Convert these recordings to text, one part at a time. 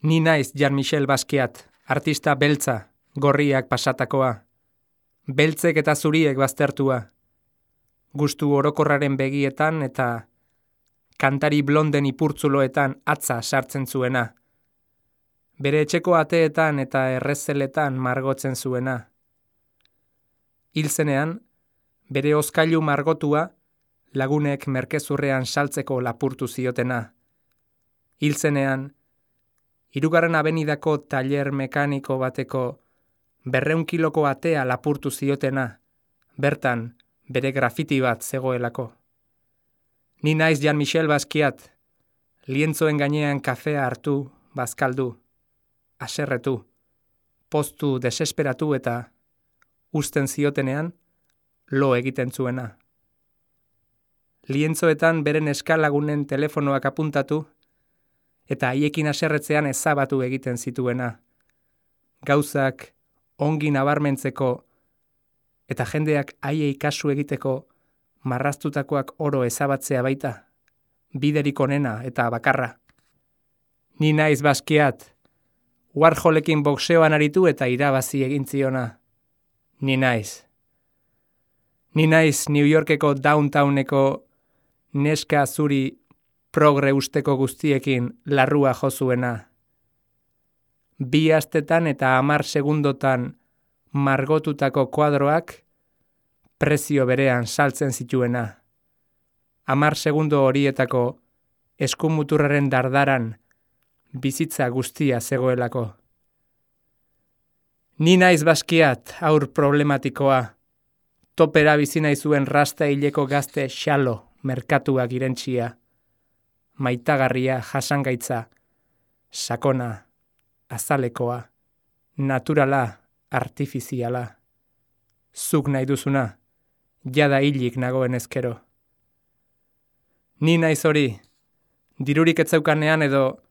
Ni naiz Jean-Michel Basquiat, artista beltza, gorriak pasatakoa. Beltzek eta zuriek baztertua. Gustu orokorraren begietan eta kantari blonden ipurtzuloetan atza sartzen zuena. Bere etxeko ateetan eta errezeletan margotzen zuena. Hil zenean, bere hozkailu margotua lagunek merkezurrean saltzeko lapurtu ziotena. Hil zenean, 3. abenidako taller mekaniko bateko 200 kiloko atea lapurtu ziotena, bertan bere grafiti bat zegoelako. Ni naiz Jean-Michel Basquiat, lientzoen gainean kafea hartu, bazkaldu, haserretu, poztu desesperatu eta uzten ziotenean, lo egiten zuena. Lientzoetan beren eskalagunen telefonoak apuntatu, eta haiekin haserretzean ezabatu egiten zituena. Gauzak ongi nabarmentzeko eta jendeak haiei kasu egiteko marraztutakoak oro ezabatzea baita, biderik onena eta bakarra. Ni naiz Basquiat, Warholekin boxeoan aritu eta irabazi egin ziona. Ni naiz. Ni naiz New Yorkeko downtowneko neska zuri progre usteko guztiekin larrua jozuena. 2 astetan eta 10 segundotan margotutako kuadroak prezio berean saltzen zituena. 10 segundo horietako eskumuturraren dardaran bizitza guztia zegoelako. Ni naiz Basquiat, haur problematikoa, topera bizi nahi zuen rasta hileko gazte xalo merkatuak irentsia. Maitagarria jasangaitza, sakona, azalekoa, naturala, artifiziala. Zuk nahi duzuna, jada hilik nagoen ezkero. Ni naiz hori, dirurik etzeukanean edo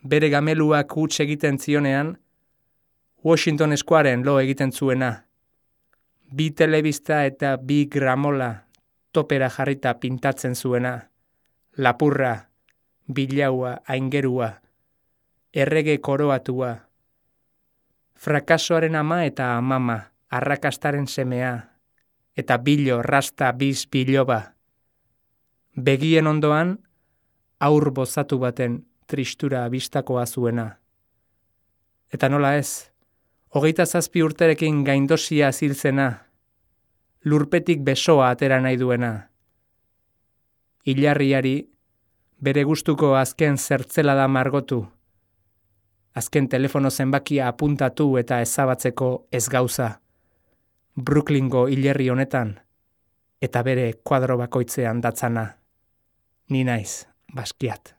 bere gameluak huts egiten zionean, Washington Squaren lo egiten zuena. 2 telebista eta 2 gramola topera jarrita pintatzen zuena. Lapurra, bilaua, aingerua, errege koroatua. Frakasoaren ama eta amama, arrakastaren semea, eta bilo, rasta, biz, biloba. Begien ondoan, aur bozatu baten tristura bistakoa zuena. Eta nola ez, 27 urterekin gaindosia ziltzena, lurpetik besoa atera nahi duena. Ilarriari bere gustuko azken zertzelada margotu, azken telefono zenbakia apuntatu eta ezabatzeko ez gauza, Brooklyngo hilerri honetan, eta bere kuadro bakoitzean datzana. Ni naiz Basquiat.